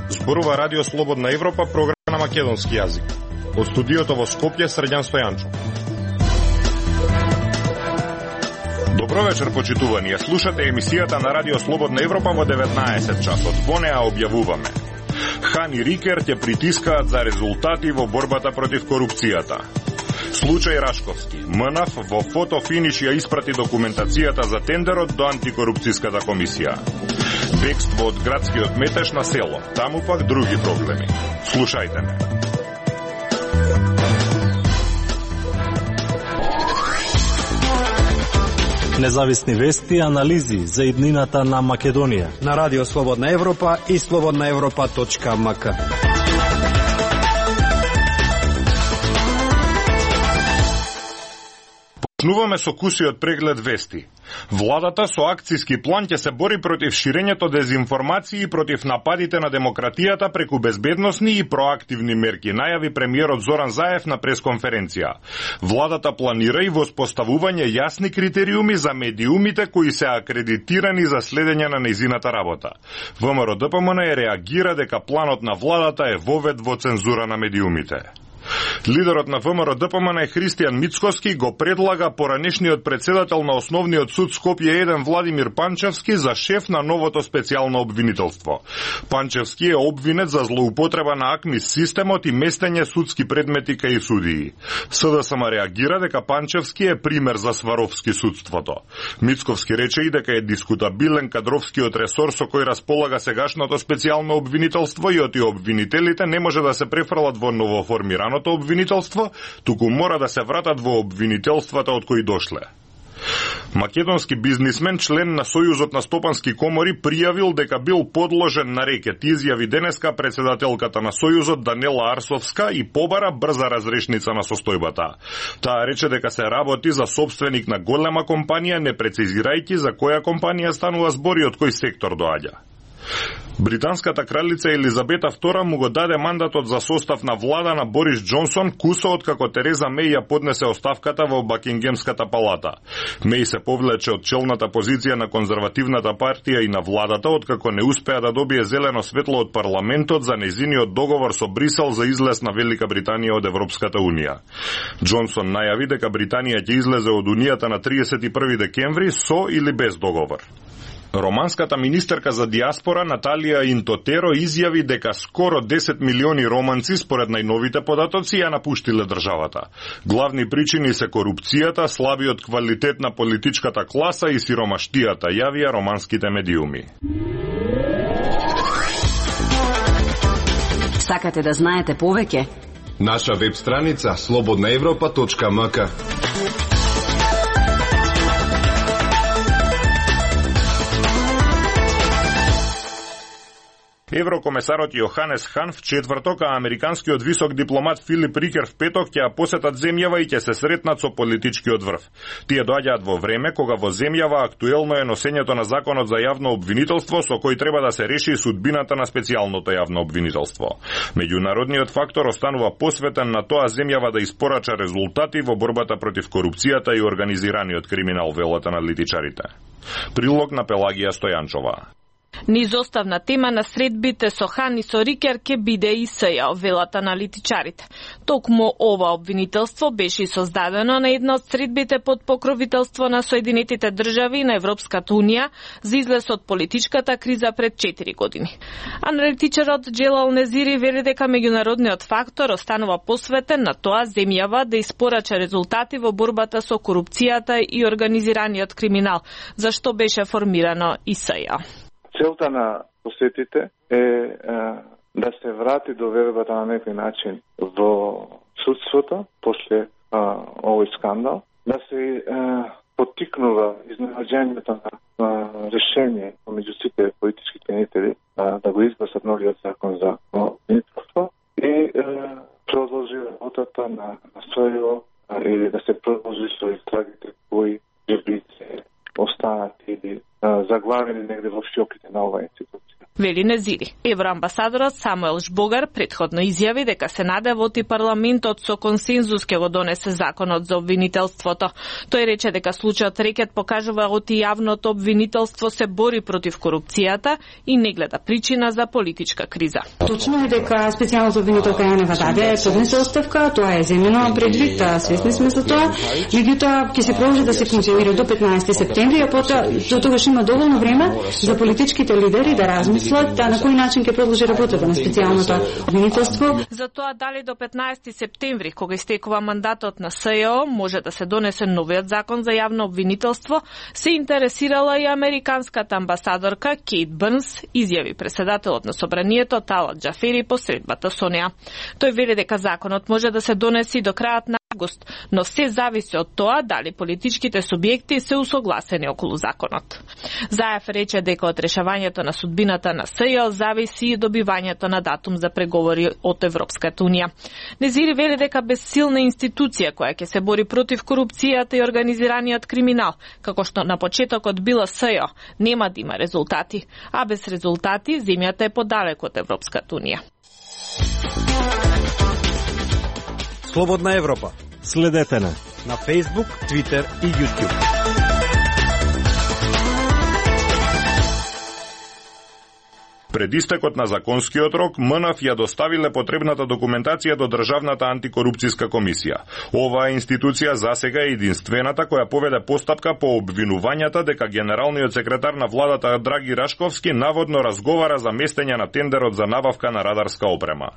Зборува Радио Слободна Европа, програма на македонски јазик. Од студиото во Скопје, Срđan Стојанчов. Добро вечер, почитувани. Ја слушате емисијата на Радио Слободна Европа во 19 часот. Во неа објавуваме: Хан и Рикер ќе притискаат за резултати во борбата против корупцијата. Случај Рашковски. МНАФ во фотофиниш ја испрати документацијата за тендерот до антикорупцијската комисија. Бегство од градскиот метеж на село. Таму пак други проблеми. Слушајте ме. Независни вести и анализи за иднината на Македонија на Радио Слободна Европа и slobodnaevropa.mk. Почнуваме со кусиот преглед вести. Владата со акцијски план ќе се бори против ширењето дезинформации и против нападите на демократијата преку безбедносни и проактивни мерки, најави премиерот Зоран Заев на пресконференција. Владата планира и воспоставување јасни критериуми за медиумите кои се акредитирани за следење на нејзината работа. ВМРО-ДПМН реагира дека планот на владата е вовед во цензура на медиумите. Лидерот на ВМРО-ДПМН Христијан Мицкоски го предлага поранешниот председател на Основниот суд Скопје 1 Владимир Панчевски за шеф на новото специјално обвинителство. Панчевски е обвинет за злоупотреба на АКМИС системот и местење судски предмети кај судии. СДСМ реагира дека Панчевски е пример за сваровски судството. Мицковски рече и дека е дискутабилен кадровскиот ресор со кој располага сегашното специјално обвинителство и оти обвинителите не може да се префрлат во новоформирано обвинителство, туку мора да се вратат во обвинителствата од кои дошле. Македонски бизнисмен, член на Сојузот на стопански комори, пријавил дека бил подложен на рекет, изјави денеска председателката на Сојузот Данела Арсовска и побара брза разрешница на состојбата. Таа рече дека се работи за собственик на голема компанија, не прецизирајќи за која компанија станува збор и од кој сектор доаѓа. Британската кралица Елизабета II му го даде мандатот за состав на влада на Борис Џонсон кусо откако Тереза Меј ја поднесе оставката во Бакингемската палата. Меј се повлече од челната позиција на конзервативната партија и на владата откако не успеа да добие зелено светло од парламентот за нејзиниот договор со Брисел за излез на Велика Британија од Европската унија. Џонсон најави дека Британија ќе излезе од унијата на 31 декември со или без договор. Романската министерка за диаспора Наталија Интотеро изјави дека скоро 10 милиони романци според најновите податоци ја напуштиле државата. Главни причини се корупцијата, слабиот квалитет на политичката класа и сиромаштијата, јавија романските медиуми. Сакате да знаете повеќе? Наша веб страница slobodnaevropa.mk. Еврокомесарот Јоханес Хан в четврток, а американскиот висок дипломат Филип Рикер в петок ќе ја посетат земјава и ќе се сретнат со политичкиот врв. Тие доаѓаат во време кога во земјава актуелно е носењето на законот за јавно обвинителство со кој треба да се реши судбината на специјалното јавно обвинителство. Меѓународниот фактор останува посветен на тоа земјава да испорача резултати во борбата против корупцијата и организираниот криминал, велат аналитичарите. Прилог на Пелагија Стојанчова. Низоставна тема на средбите со Хан и со Рикер ке биде и СЈ, велат аналитичарите. Токму ова обвинителство беше создадено на една од средбите под покровителство на Соединетите држави на Европската унија за излез од политичката криза пред 4 години. Аналитичарот Джелал Незири вели дека меѓународниот фактор останува посветен на тоа земјава да испорача резултати во борбата со корупцијата и организираниот криминал, зашто беше формирано и СЈ. Целта на посетите е да се врати довербата на некој начин во судството после овој скандал, да се поттикнува изнаѓањето на решение меѓу сите политички тенители да го изгласат новиот закон за обвинителство и продолжи работата на СЈ или да се продолжи со истрагите кои ќе останат или заглавени негде во шиоките на оваа институција. вели Незири. Евроамбасадорот Самуел Жбогар претходно изјави дека се наде и парламентот со консензус ќе го донесе законот за обвинителството. Тој рече дека случајот Рекет покажува оти јавното обвинителство се бори против корупцијата и не гледа причина за политичка криза. Точно е дека специјалната обвинителка Јанева даде поднесе оставка, тоа е земено предвид, свесни сме за тоа. Меѓутоа ќе се продолжи да се функционира до 15 септември, а потоа до тогаш има доволно време за политичките лидери да размислат на кој начин ќе продолжи работата на специјалното обвинителство. За тоа дали до 15 септември, кога истекува мандатот на СЈО, може да се донесе новиот закон за јавно обвинителство, се интересирала и американската амбасадорка Кейт Бърнс, изјави председателот на собранието Талат Џафери по средбата со неа. Тој вели дека законот може да се донеси до крајот на август, но се зависи од тоа дали политичките субјекти се усогласени околу законот. Заев рече дека од решавањето на судбината на СЈО зависи и добивањето на датум за преговори од Европската унија. Незири вели дека без силна институција која ќе се бори против корупцијата и организираниот криминал, како што на почетокот била СЈО, нема да има резултати, а без резултати земјата е подалеку од Европската унија. Слободна Европа. Следете на Facebook, Twitter и YouTube. Пред истекот на законскиот рок, МНФ ја доставиле потребната документација до Државната антикорупцијска комисија. Оваа институција засега е единствената која поведе постапка по обвинувањата дека генералниот секретар на владата Драги Рашковски наводно разговара за местење на тендерот за набавка на радарска опрема.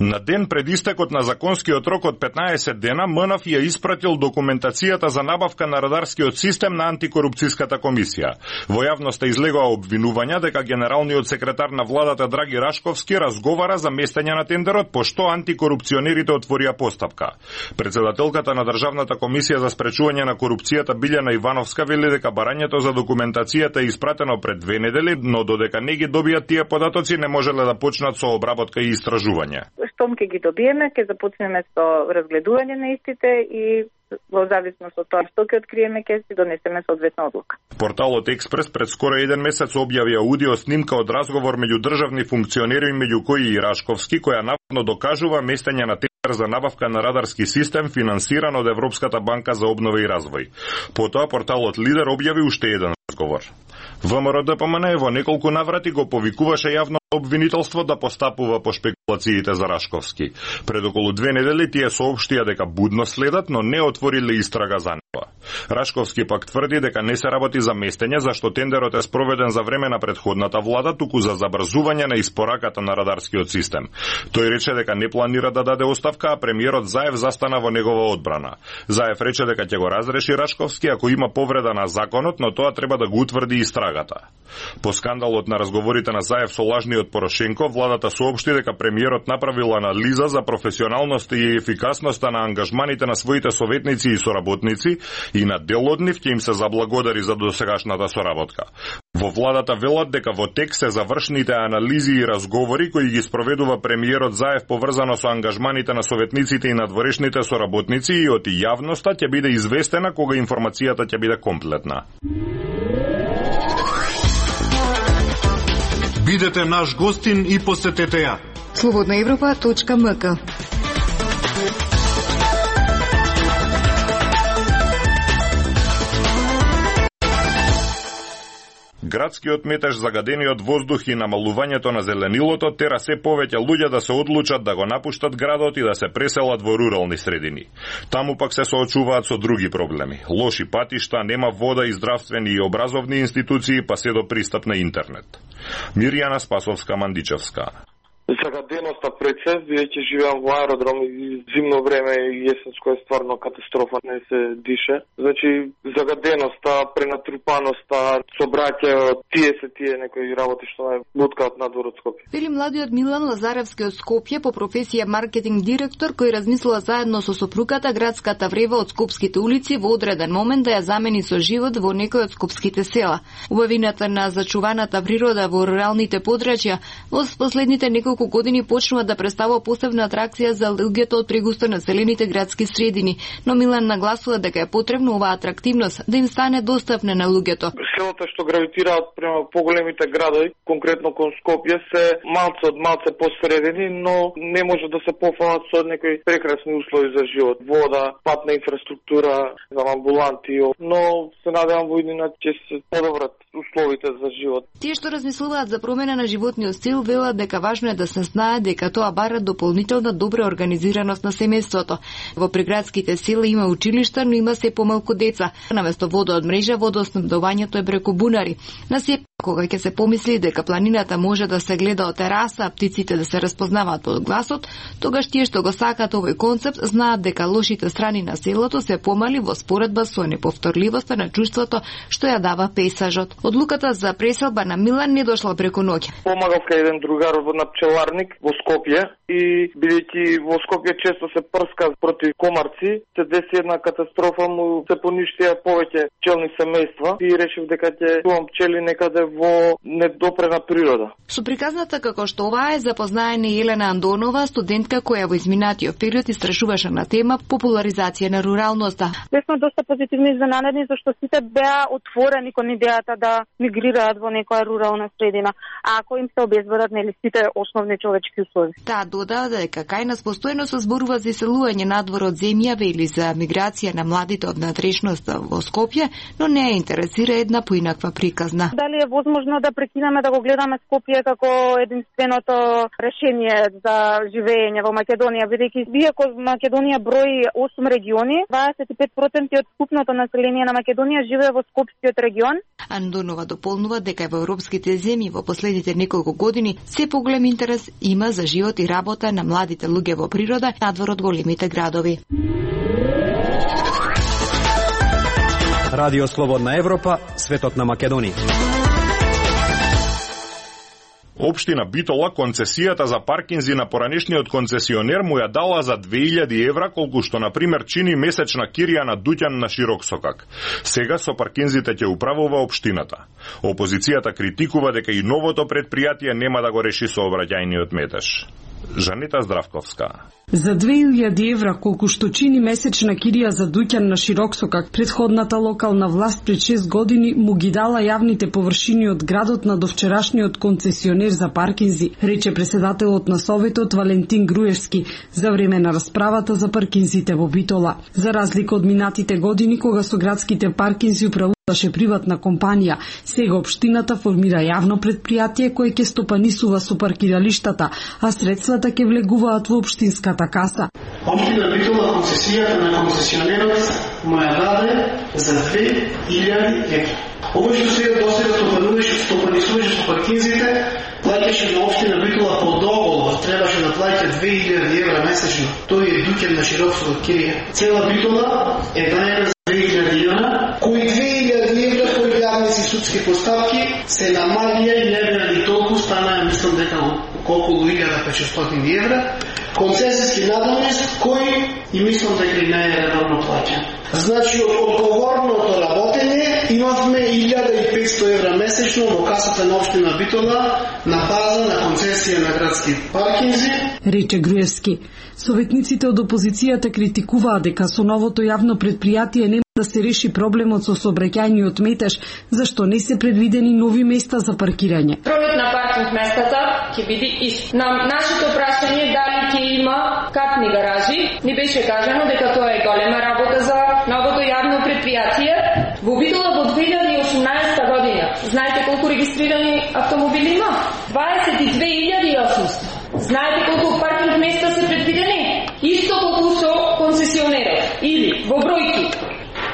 На ден пред истекот на законскиот рок од 15 дена, МНФ ја испратил документацијата за набавка на радарскиот систем на антикорупцијската комисија. Во јавноста излегоа обвинувања дека генералниот секретар на владата Драги Рашковски разговара за местење на тендерот, пошто антикорупционерите отворија постапка. Председателката на Државната комисија за спречување на корупцијата Билјана Ивановска вели дека барањето за документацијата е испратено пред 2 недели, но додека не ги добијат тие податоци не можеле да почнат со обработка и истражување. Штом ќе ги добиеме, ќе започнеме со разгледување на истите и во зависност од тоа што ќе откриеме, ќе си донесеме соодветна одлука. Порталот Експрес пред скоро 1 месец објави аудио снимка од разговор меѓу државни функционери, меѓу кои и Рашковски, која наводно докажува местење на тендер за набавка на радарски систем финансиран од Европската банка за обнова и развој. Потоа порталот Лидер објави уште еден разговор. ВМРО ДПМН во неколку наврати го повикуваше јавно обвинителство да постапува по шпекулациите за Рашковски. Пред околу 2 недели тие соопштија дека будно следат, но не отвориле истрага за него. Рашковски пак тврди дека не се работи за местење, зашто тендерот е спроведен за време на претходната влада, туку за забрзување на испораката на радарскиот систем. Тој рече дека не планира да даде оставка, а премиерот Заев застана во негова одбрана. Заев рече дека ќе го разреши Рашковски ако има повреда на законот, но тоа треба да го утврди истрагата. По скандалот на разговорите на Заев со лажниот Порошенко, владата соопшти дека премиерот направил анализа за професионалноста и ефикасноста на ангажманите на своите советници и соработници и на дел од нив ќе им се заблагодари за досегашната соработка. Во владата велат дека во тек се завршните анализи и разговори кои ги спроведува премиерот Заев поврзано со ангажманите на советниците и надворешните соработници и од јавноста ќе биде известена кога информацијата ќе биде комплетна. Бидете наш гостин и посетете ја. slobodnaevropa.mk. Градскиот метеж, загадениот воздух и намалувањето на зеленилото тера се повеќе луѓе да се одлучат да го напуштат градот и да се преселат во рурални средини. Таму пак се соочуваат со други проблеми. Лоши патишта, нема вода и здравствени и образовни институции, па се до пристап на интернет. Мирјана Спасовска-Мандичевска. Загаденоста прецес, бидејќи живеам во аеродром и зимно време и есенско е стварно катастрофа, не се дише. Значи, загаденоста, пренатрупаноста, собраќајот, тие некои работи што ме буткаат надвор од Скопје. Вели младиот Милан Лазаревски од Скопје, по професија маркетинг директор, кој размислува заедно со сопругата градската врева од скопските улици во одреден момент да ја замени со живот во некој од скопските села. Убавината на зачуваната природа во руралните подрачја во последните неколку неколку години почнува да представува посебна атракција за луѓето од прегусто населените градски средини, но Милан нагласува дека е потребно оваа атрактивност да им стане достапна на луѓето. Селата што гравитираат према поголемите градови, конкретно кон Скопје, се малце посредени, но не може да се пофалат со некои прекрасни услови за живот, вода, патна инфраструктура, амбуланти, но се надевам во иднина ќе се подобрат условите за живот. Тие што размислуваат за промена на животниот стил велат дека важно е да се знае дека тоа бара дополнителна добра организираност на семејството. Во приградските села има училишта, но има се помалку деца. Наместо вода од мрежа, водоснабдувањето е преку бунари. На сепак, кога ќе се помисли дека планината може да се гледа од тераса, а птиците да се разпознаваат под гласот, тогаш тие што го сакаат овој концепт знаат дека лошите страни на селото се помали во споредба со неповторливоста на чувството што ја дава пейсажот. Одлуката за преселба на Милан не дошла преку ноќ. Помагав кај еден другар на пчеларник во Скопје и бидејќи во Скопје често се прска против комарци, се деси една катастрофа, му се поништија повеќе пчелни семејства и решив дека ќе чувам пчели некаде во недопрена природа. Со приказната како што ова е запознаена Елена Андонова, студентка која во изминатиот период истражуваше на тема популаризација на руралноста. Бевме доста позитивни изненадени зашто сите беа отворени кон идејата да мигрираат во некоја рурална средина, ако им се обезбедат сите основни човечки услови. Таа додава дека кај нас постојано се зборува за иселување надвор од земјава или за миграција на младите од надрешноста во Скопје, но не ја интересира една поинаква приказна. Дали е возможно да прекинеме да го гледаме Скопје како единственото решение за живење во Македонија, бидејќи иако Македонија брои 8 региони, 25% од вкупното население на Македонија живее во Скопскиот регион. Андонова дополнува дека во европските земји во последните неколку години се поголем интерес има за живот и работа на младите луѓе во природа надвор од големите градови. Радио Слободна Европа, светот на Македонија. Општина Битола концесијата за паркинзи на поранешниот концесионер му ја дала за 2000 евра, колку што на пример чини месечна кирија на Дуќан на Широксокак. Сега со паркинзите ќе управува општината. Опозицијата критикува дека и новото претпријатие нема да го реши сообраќајниот метеж. Жанита Здравковска. За 2000 евра, колку што чини месечна кирија за Дуќан на Широксокак, претходната локална власт пред 6 години му ги дала јавните површини од градот на довчерашниот концесионер за паркинзи, рече председателот на Советот Валентин Груевски за време на расправата за паркинзите во Битола. За разлика од минатите години, кога со градските паркинзи управуваше приватна компанија, сега општината формира јавно претпријатие кое ќе стопанисува со паркиралиштата, а средствата ќе влегуваат во општинската каса. Општина Битола концесијата на концесионерот му ја даде за 2000 евра. Овој што сега досега стопанисуваше со паркинзите, плаќаше на општина Битола по договор, требаше да плаќа 2000 евра месечно. Тој е Дуќан на Широксокак кирија. Цела Битола е даена за 2000 евра, кои 2000 евра кои јавни си судски постапки се намалија и евра и толку стана, мислам дека колку 1500 евра. Концесијски надомест кој и мислам дека и не е редовно плаќан. Значи, од одговорното работење имавме 1500 евра месечно во касата на општина Битола на база на концесија на градски паркинзи, рече Груевски. Советниците од опозицијата критикуваа дека со новото јавно претпријатие нема да се реши проблемот со сообраќајниот метеж, зашто не се предвидени нови места за паркирање. Бројот на паркинг местата ќе биде ист. На нашето прашање дали ќе има катни гаражи, ни беше кажано дека тоа е голема работа за новото јавно претпријатие. Во Битола во 2018 година, знаете колку регистрирани автомобили има? 22.800. Знаете колку паркинг места се предвидени? Исто колку со концесионерот. Или во бројки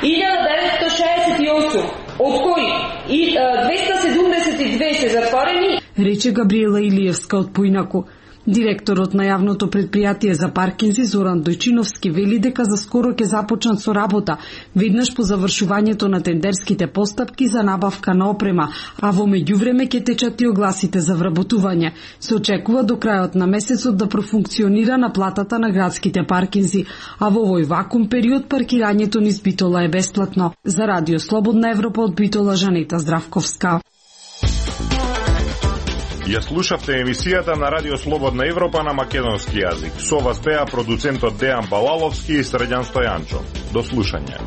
1968, од кои 272 се затворени, рече Габриела Илиевска од Поинаку. Директорот на јавното претпријатие за паркинзи Зоран Дојчиновски вели дека за скоро ќе започнат со работа, веднаш по завршувањето на тендерските постапки за набавка на опрема, а во меѓувреме ќе течат и огласите за вработување. Се очекува до крајот на месецот да профункционира наплатата на градските паркинзи, а во овој вакуум период паркирањето низ Битола е бесплатно. За Радио Слободна Европа од Битола, Жанита Здравковска. Ја слушавте емисијата на Радио Слободна Европа на македонски јазик. Со вас беа продуцентот Дејан Балаловски и Срđan Стојанчо. До слушање.